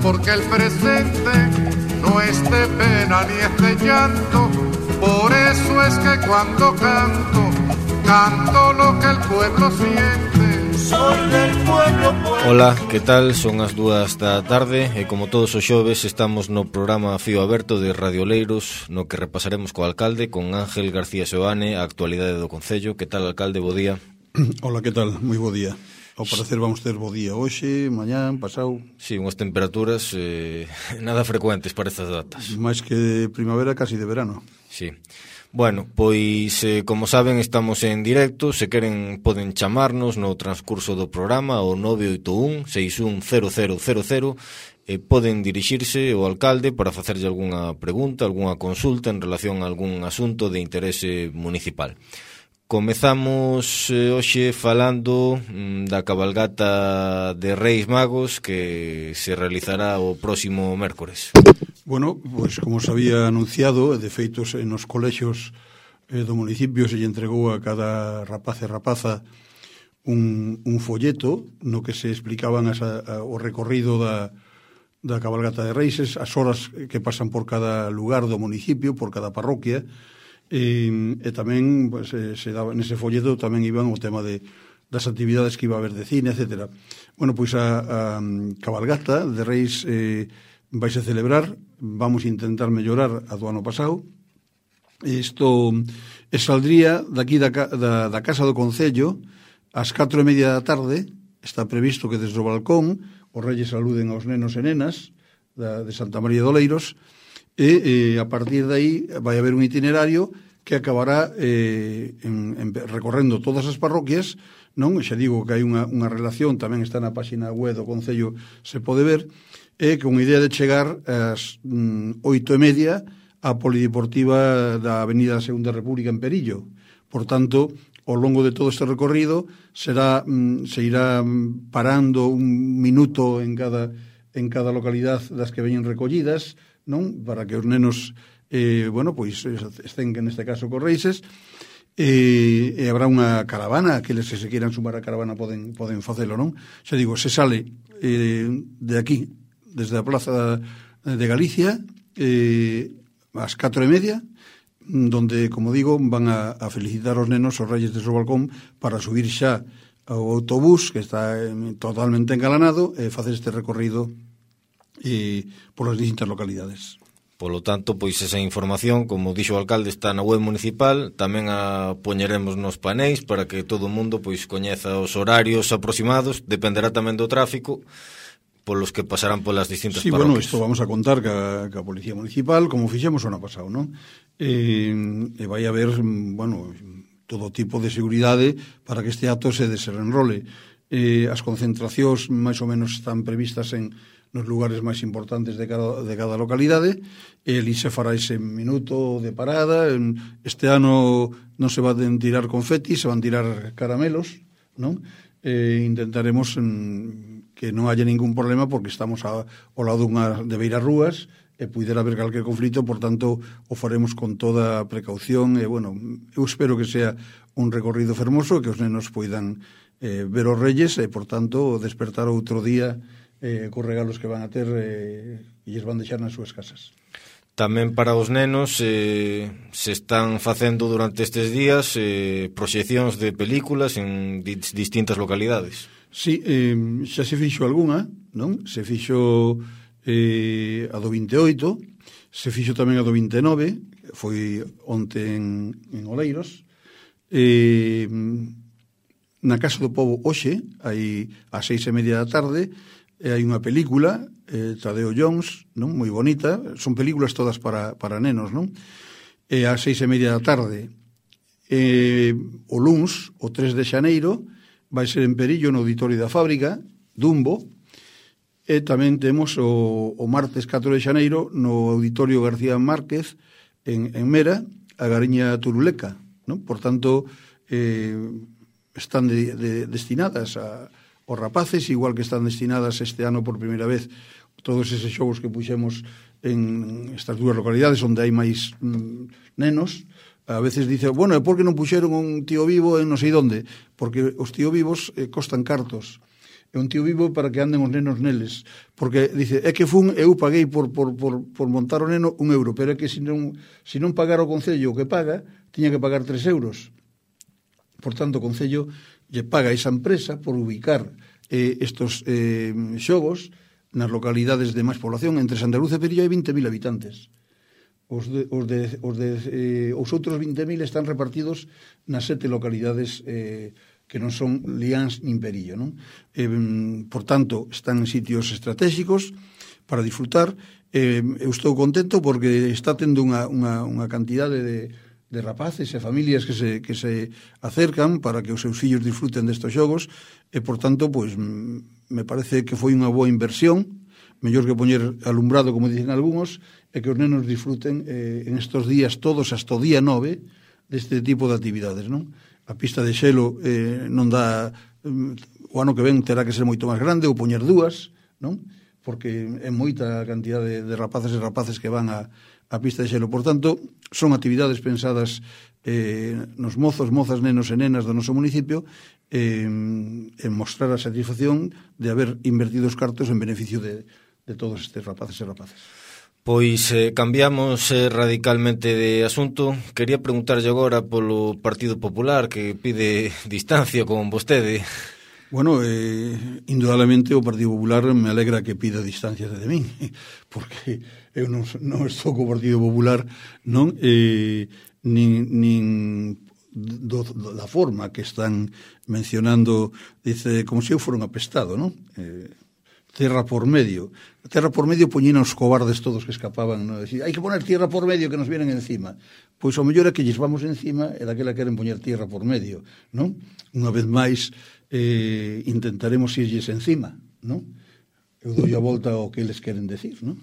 porque el presente no es de pena ni es de llanto. Por eso es que cuando canto, canto lo que el pueblo siente. Soy del pueblo. Ola, que tal? Son as 2 da tarde e como todos os xoves estamos no programa Fío Aberto de Radio Oleiros, no que repasaremos co alcalde, con Ángel García Seoane, a actualidade do Concello. Que tal, alcalde? Bo día. Ola, que tal? Moi bo día. Ao parecer vamos ter bo día hoxe, mañán, pasado. Sí, unhas temperaturas nada frecuentes para estas datas. Mais que de primavera, casi de verano. Sí. Bueno, pois, como saben, estamos en directo. Se queren, poden chamarnos no transcurso do programa ao 981-610000 e poden dirixirse ao alcalde para facerlle algunha pregunta, algunha consulta en relación a algún asunto de interese municipal. Comezamos hoxe falando da cabalgata de Reis Magos que se realizará o próximo mércores. Bueno, pois como se había anunciado, de feitos nos colexios do municipio se lle entregou a cada rapaz e rapaza un folleto no que se explicaban o recorrido da cabalgata de Reis, as horas que pasan por cada lugar do municipio, por cada parroquia, e tamén pues, se daba, nese folleto tamén iban o tema das actividades que iba a haber de cine, etc. Bueno, pois a cabalgata de Reis vais a celebrar, vamos a intentar mellorar a do ano pasado. Isto saldría daqui da Casa do Concello ás 4:30 da tarde. Está previsto que desde o balcón os reyes saluden aos nenos e nenas de Santa María de Oleiros e a partir de aí vai haber un itinerario que acabará recorrendo todas as parroquias, non? Xa digo que hai unha relación, tamén está na página web do Concello, se pode ver, e con idea de chegar ás 8:30 á Polideportiva da Avenida Segunda República en Perillo. Por tanto, ao longo de todo este recorrido se irá parando un minuto en cada localidade das que veñen recollidas, non? Para que os nenos pois estén neste caso con Reises, e habrá unha caravana, aqueles que se queiran sumar a caravana poden facelo, non? Xa digo, se sale de aquí, desde a Plaza de Galicia, ás 4:30, donde, como digo, van a felicitar os nenos os reyes de seu balcón para subir xa ao autobús que está totalmente engalanado e facer este recorrido por as distintas localidades. Polo tanto, pois esa información, como dixo o alcalde, está na web municipal, tamén a poñeremos nos paneis para que todo o mundo pois coñeza os horarios aproximados, dependerá tamén do tráfico polos que pasarán polas distintas parroquias. Sí, bueno, isto vamos a contar ca Policía Municipal, como fixemos o ano pasado, non? E vai haber, bueno, todo tipo de seguridade para que este acto se desenrole. As concentracións máis ou menos están previstas nos lugares máis importantes de cada localidade, e ali se fará ese minuto de parada. Este ano non se van tirar confetis, se van tirar caramelos, non? Intentaremos que non haya ningún problema porque estamos ao lado de beiras rúas e puidera haber calquer conflito, por tanto o faremos con toda a precaución e, bueno, eu espero que sea un recorrido fermoso, que os nenos poidan ver os reyes e, por tanto, despertar outro día cos regalos que van a ter e lles van deixar nas súas casas. Tamén para os nenos se están facendo durante estes días proxeccións de películas en distintas localidades. Sí, xa se fixo algunha, non? Se fixo a do 28, se fixo tamén a do 29, foi onte en Oleiros. Na Casa do Pobo hoxe, aí ás 6:30 da tarde, hai unha película, Tadeo Jones, non? Moi bonita, son películas todas para nenos, non? E ás 6:30 da tarde, o luns, o 3 de xaneiro, vai ser en Perillo, no Auditorio da Fábrica, Dumbo, e tamén temos o martes 4 de xaneiro, no Auditorio García Márquez, en Mera, a Gariña Turuleca, non? Por tanto, están destinadas os rapaces, igual que están destinadas este ano por primeira vez todos eses xogos que puxemos en estas dúas localidades onde hai máis nenos. A veces dice, bueno, por que non puxeron un tío vivo en non sei onde? Porque os tío vivos costan cartos. é un tío vivo para que anden os nenos neles, porque dice, é que eu paguei por montar o neno €1, pero é que se non pagara o Concello o que paga, tiña que pagar €3. Por tanto, o Concello lle paga a esa empresa por ubicar estos xogos nas localidades de máis población. Entre Santa Cruz e Perillo hai 20.000 habitantes. Os outros 20.000 están repartidos nas 7 localidades que non son Liáns nin Perillo, non? Por tanto, están en sitios estratégicos para disfrutar. Eu estou contento porque está tendo unha cantidade de rapaces e familias que se acercan para que os seus fillos disfruten destes xogos e, por tanto, pois, me parece que foi unha boa inversión, mellor que poñer alumbrado, como dicen algúns, e que os nenos disfruten en estos días todos hasta o día 9 deste tipo de actividades, non? A pista de xelo non dá, o ano que ven terá que ser moito máis grande ou poñer 2, non? Porque é moita cantidad de rapaces e rapaces que van a pista de xelo. Por tanto, son actividades pensadas nos mozos, mozas, nenos e nenas do noso municipio en mostrar a satisfacción de haber invertido os cartos en beneficio de todos estes rapaces e rapaces. Pois cambiamos radicalmente de asunto. Quería preguntarlle agora polo Partido Popular, que pide distancia con vostede. Bueno, indudablemente o Partido Popular me alegra que pida distancia de min, porque eu non estou co Partido Popular, non? Nin da forma que están mencionando, dice, como se eu fora un apestado, non? Tierra por medio. Tierra por medio poñían os cobardes todos que escapaban, non? Decir, hai que poner tierra por medio que nos vienen encima. Pois o mellor é que lles vamos encima e daquela queren poñer tierra por medio, non? Unha vez máis intentaremos irlles encima, non? Eu dou a volta ao que eles queren decir, non?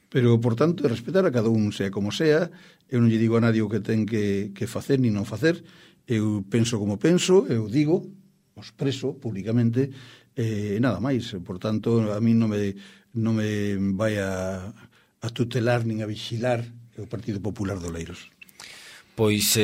Pero, por tanto, respetar a cada un, sea como sea. Eu non lle digo a nadie o que ten que facer ni non facer. Eu penso como penso, eu digo, o expreso públicamente, nada máis. Por tanto, a mí non me vai a tutelar nin a vigilar o Partido Popular de Oleiros. Pois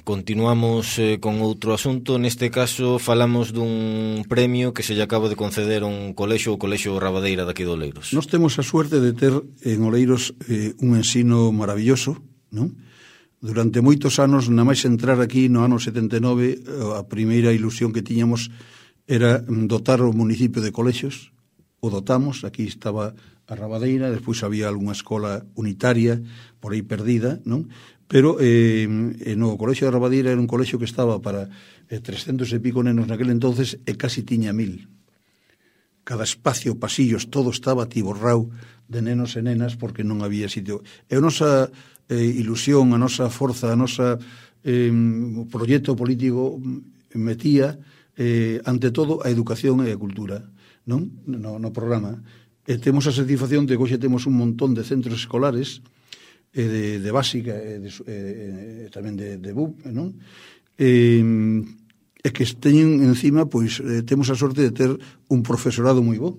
continuamos con outro asunto. Neste caso falamos dun premio que se lle acaba de conceder a un colexo, o Colexo Rabadeira daqui de Oleiros. Nós temos a suerte de ter en Oleiros un ensino maravilloso, non? Durante moitos anos, na máis entrar aquí no ano 79, a primeira ilusión que tiñamos era dotar o municipio de colexios. O dotamos, aquí estaba a Rabadeira, despois había algunha escola unitaria por aí perdida, non? Pero no colexio de Rabadeira era un colexio que estaba para 300 e pico nenos naquele entonces e casi tiña 1000. Cada espacio, pasillos, todo estaba atiborrao de nenos e nenas porque non había sitio. E a nosa ilusión, a nosa forza, a nosa proxecto político metía ante todo a educación e a cultura, non? No programa. E temos a satisfacción de que hoxe temos un montón de centros escolares de básica e tamén de BUP, non? E que teñen encima, pois, temos a sorte de ter un profesorado moi bo.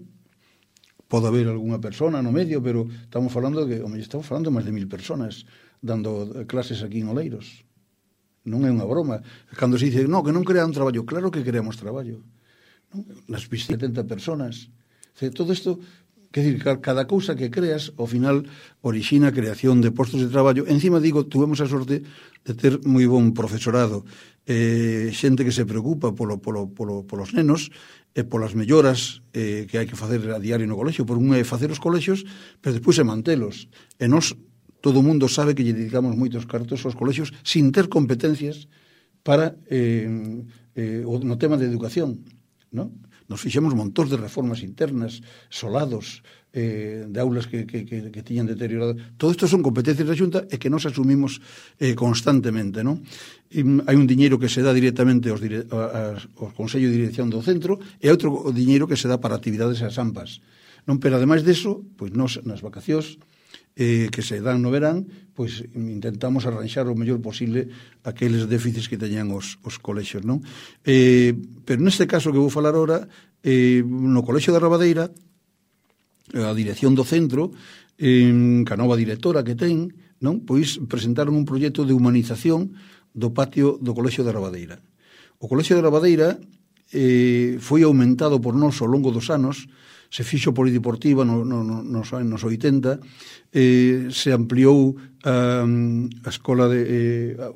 Pode haber algunha persona no medio, pero estamos falando de máis de 1000 personas dando clases aquí en Oleiros. Non é unha broma. Cando se dice, que non crean traballo, claro que creamos traballo. Non? Nas 70 personas. Todo isto, quer dizer, cada cousa que creas, ao final, orixina a creación de postos de traballo. Encima, digo, tuvemos a sorte de ter moi bon profesorado, xente que se preocupa polos nenos e polas melloras que hai que facer a diario no colexio. Por un é facer os colexios, pero despois é mantelos. E nós, todo o mundo sabe que lle dedicamos moitos cartos aos colexios sin ter competencias para no tema de educación, non? Nos fixemos montóns de reformas internas, solados, de aulas que tiñan deteriorado. Todo isto son competencias da Xunta e que nos asumimos constantemente, non? Hai un diñeiro que se dá directamente aos Consello de Dirección do Centro e outro diñeiro que se dá para actividades as AMPAs, non? Pero ademais deso, pois nos nas vacacións que se dan no verán, pois intentamos arranxar o mellor posible aqueles déficits que teñan os colexios, non? Pero neste caso que vou falar ahora, no Colexio da Rabadeira, a dirección do centro, ca nova directora que ten, non? Pois presentaron un proxecto de humanización do patio do Colexio da Rabadeira. O Colexio da Rabadeira foi aumentado por nós ao longo dos anos, se fixo polideportiva nos anos 80, se ampliou a escola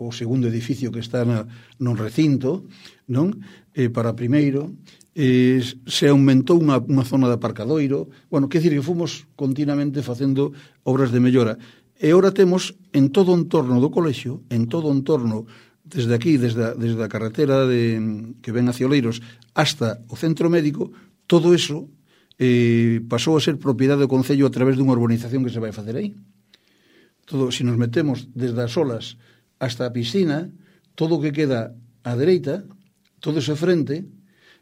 o segundo edificio que está no recinto, non? Para primeiro, se aumentou unha zona de aparcadoiro, bueno, quer dicir que fomos continuamente facendo obras de mellora, e ora temos en todo o entorno do colexio, en todo o entorno desde aquí, desde a carretera que ven hacia Oleiros hasta o centro médico, todo eso pasou a ser propiedade do Concello a través dunha urbanización que se vai facer aí. Todo, se nos metemos desde as olas hasta a piscina, todo o que queda á dereita, todo ese frente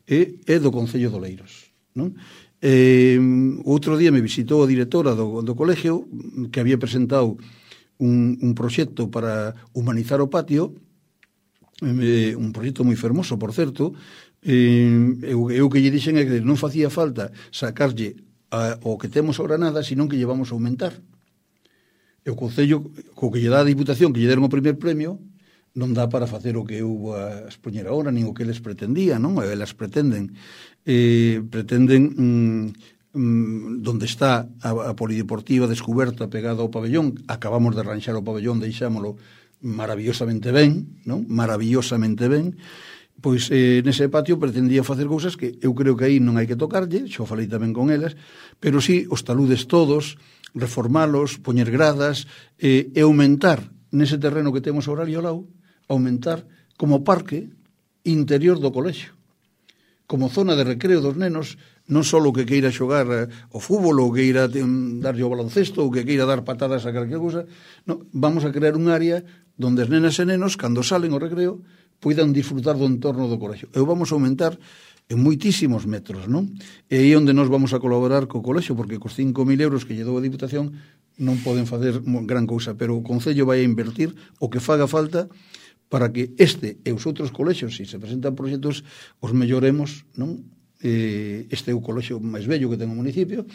é do Concello de Oleiros, non? Outro día me visitou a directora do colegio que había presentado un proxecto para humanizar o patio, un proxecto moi fermoso, por certo. Eu que lle dixen é que non facía falta sacarlle o que temos ahora nada, senón que lle vamos a aumentar. E o Concello, co que lle dá a Diputación, que lle deron o primer premio, non dá para facer o que eu a expoñer agora, nin o que eles pretendían, non? Elas pretenden donde está a polideportiva descoberta pegada ao pabellón, acabamos de arranxar o pabellón, deixámolo maravillosamente ben, non? Maravillosamente ben. Pois nese patio pretendía facer cousas que eu creo que aí non hai que tocarlle, xo falei tamén con elas, pero sí os taludes todos, reformalos, poñer gradas e aumentar nese terreno que temos ahora ali ao lado, aumentar como parque interior do colexio, como zona de recreo dos nenos, non só o que queira xogar o fútbol ou que queira darlle o baloncesto ou que queira dar patadas a calquer cousa, non, vamos a crear un área donde as nenas e nenos, cando salen ao recreo, poidan disfrutar do entorno do colexio. E vamos a aumentar en moitísimos metros, non? E aí onde nos vamos a colaborar co colexio, porque cos 5.000 euros que lle dou a Diputación non poden facer gran cousa, pero o Concello vai a invertir o que faga falta para que este e os outros colexios, se se presentan proxectos, os melloremos, non? Este é o colexio máis bello que ten o municipio,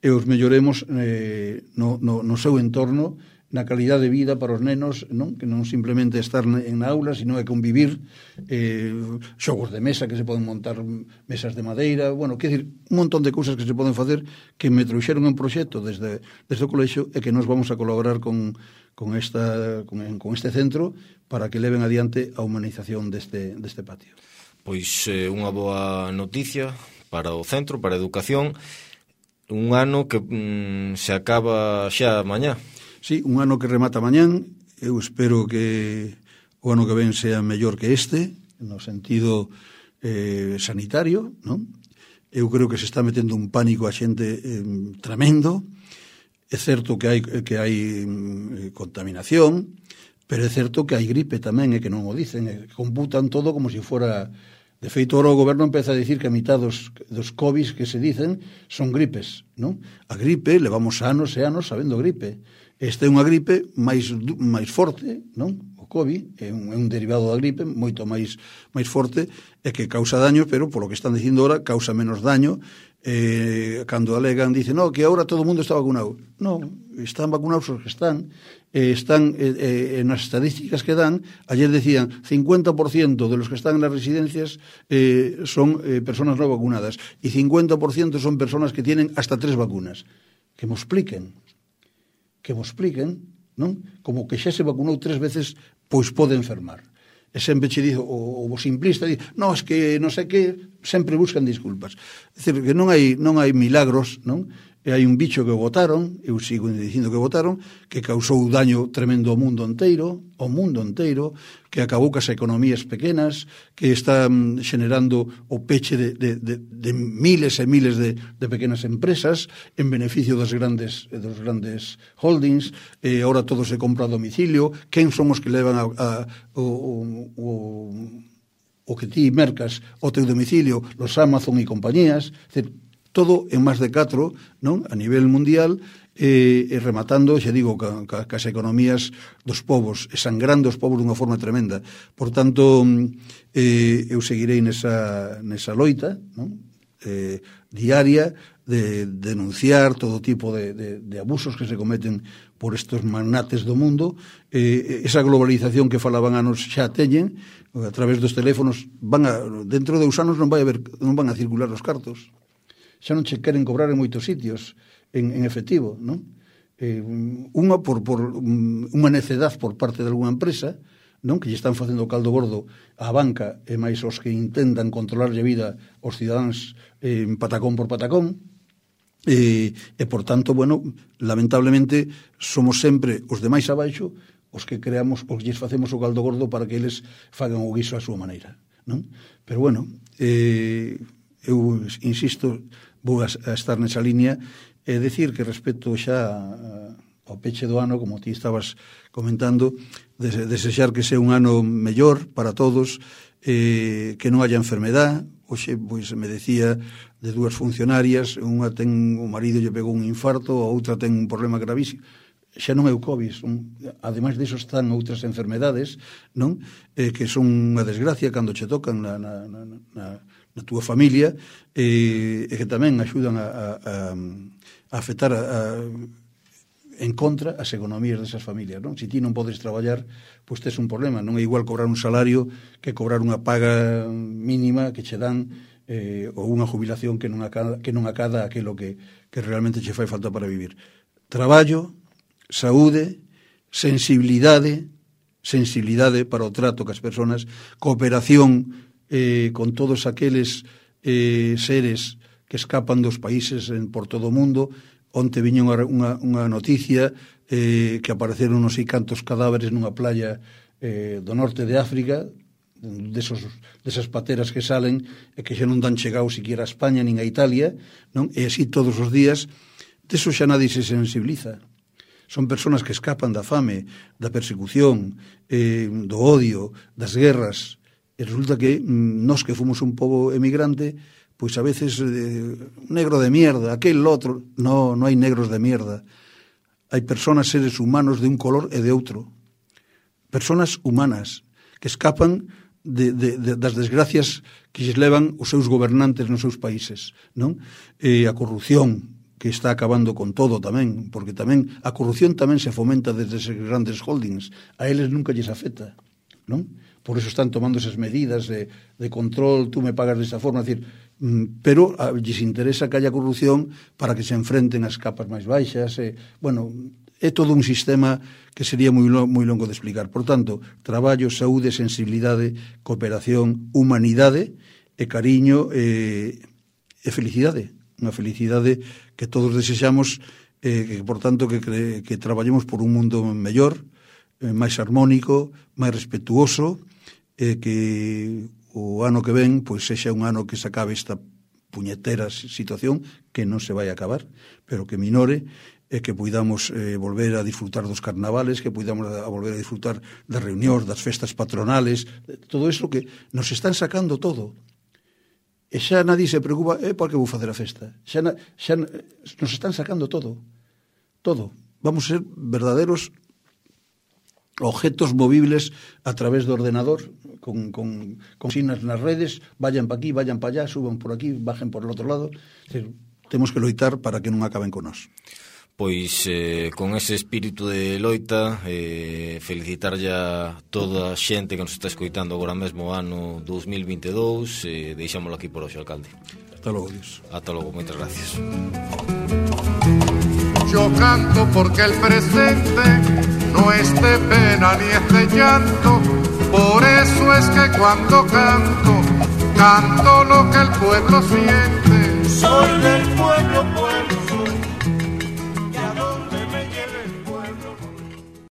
e os melloremos no seu entorno, na calidad de vida para os nenos, non? Que non simplemente estar na aula, sino é convivir, xogos de mesa que se poden montar, mesas de madeira, bueno, quer dizer, un montón de cousas que se poden facer que me trouxeron un proxecto desde o colexio e que nos vamos a colaborar con este centro para que leven adiante a humanización deste patio. Pois unha boa noticia para o centro, para a educación, un ano que se acaba xa mañá. Sí, un ano que remata mañán, eu espero que o ano que ven sea mellor que este, no sentido sanitario, non? Eu creo que se está metendo un pánico a xente tremendo. É certo que hai contaminación, pero é certo que hai gripe tamén, e que non o dicen, computan todo como se fora. De feito, ahora o goberno empeza a dicir que a mitad dos COVID que se dicen son gripes, non? A gripe, levamos anos e anos sabendo gripe. Esta é unha gripe máis forte, non? O COVID é un derivado da gripe moito máis forte e que causa daño, pero polo que están dicindo ahora causa menos daño. Cando alegan, dicen, no, que agora todo o mundo está vacunado. Non, están vacunados os que están nas estadísticas que dan. Ayer decían 50% de los que están en las residencias son personas no vacunadas y 50% son personas que tienen hasta 3 vacunas. Que me expliquen, non? Como que xa se vacunou 3 veces, pois pode enfermar. E sempre che dizo, o simplista dice, no, es que non sei que, sempre buscan disculpas. É dicir, que non hai milagros, non? E hai un bicho que botaron, eu sigo dicindo que botaron, que causou daño tremendo ao mundo enteiro, que acabou cas economías pequenas, que está xenerando o peche de miles e miles de pequenas empresas en beneficio dos grandes holdings, e agora todo se compra a domicilio. Quen son os que levan o que ti mercas ao teu domicilio, los Amazon e compañías, todo en máis de 4, non? A nivel mundial, rematando, xa digo, cas economías dos povos, sangrando os povos dunha forma tremenda. Por tanto, eu seguirei nesa loita, non? diaria de denunciar todo tipo de abusos que se cometen por estos magnates do mundo. Esa globalización que falaban anos xa teñen, a través dos teléfonos, dentro de 2 anos non van a circular os cartos. Xa non che queren cobrar en moitos sitios en efectivo, non? Unha por unha necedad por parte de alguna empresa, non, que lle están facendo caldo gordo á banca e máis os que intentan controlarlle a vida aos cidadáns patacón por patacón, e por tanto, bueno, lamentablemente somos sempre os demais abaixo os que creamos, os lles facemos o caldo gordo para que eles fagan o guiso a súa maneira, non? Pero bueno, eu insisto, vou a estar nesa línea e decir que respecto xa ao peche do ano, como ti estabas comentando, desexar que sea un ano mellor para todos, que non haya enfermedad. Hoxe, pois, me decía de 2 funcionarias, unha ten, o marido lle pegou un infarto, a outra ten un problema gravísimo. Xa non é o COVID, ademais disso están outras enfermedades, non? Que son unha desgracia cando che tocan na túa familia, e que tamén axudan a afectar en contra as economías desas familias, non? Se ti non podes traballar, pois tes un problema. Non é igual cobrar un salario que cobrar unha paga mínima que che dan, ou unha jubilación que non acada aquilo que realmente che fai falta para vivir. Traballo, saúde, sensibilidade para o trato que as persoas, cooperación con todos aqueles seres que escapan dos países por todo o mundo. Onte viña unha noticia que apareceron non sei cantos cadáveres nunha playa do norte de África, desas pateras que salen e que xa non dan chegado siquiera a España nin a Italia, non? E así todos os días. Deso xa nadie se sensibiliza. Son persoas que escapan da fame, da persecución, do odio, das guerras. E resulta que nós que fomos un pobo emigrante, pois a veces negro de mierda, aquel outro. No hai negros de mierda. Hai persoas, seres humanos de un color e de outro. Persoas humanas que escapan das desgracias que lles levan os seus gobernantes nos seus países, non? A corrupción que está acabando con todo tamén, porque tamén a corrupción tamén se fomenta desde esos grandes holdings. A eles nunca lles afecta, non? Por eso están tomando esas medidas de control, tú me pagas desta forma, decir, pero lles interesa que haya corrupción para que se enfrenten as capas máis baixas. Bueno, é todo un sistema que sería moi longo de explicar. Por tanto, traballo, saúde, sensibilidade, cooperación, humanidade e cariño e felicidade. Unha felicidade que todos desexamos, que por tanto que traballemos por un mundo mellor, máis armónico, máis respetuoso, que o ano que ven pois sexa un ano que se acabe esta puñetera situación, que non se vai a acabar, pero que minore, e que poidamos volver a disfrutar dos carnavales, que poidamos volver a disfrutar das reunións, das festas patronales, todo iso que nos están sacando todo. E xa nadie se preocupa, por que vou facer a festa? Xa nos están sacando todo. Todo. Vamos a ser verdaderos objetos movibles a través do ordenador, con consignas nas redes, vayan pa aquí, vayan pa allá, suban por aquí, bajen por el outro lado. Temos que loitar para que non acaben con nós. Pois con ese espírito de loita, felicitarlle a toda a xente que nos está escoitando agora mesmo ano 2022, deixámoslo aquí por hoxe, alcalde. Hasta logo, Dios. Hasta logo, moitas gracias. Yo canto porque el presente no es de pena ni es de llanto, por eso es que cuando canto, canto lo que el pueblo siente. Soy del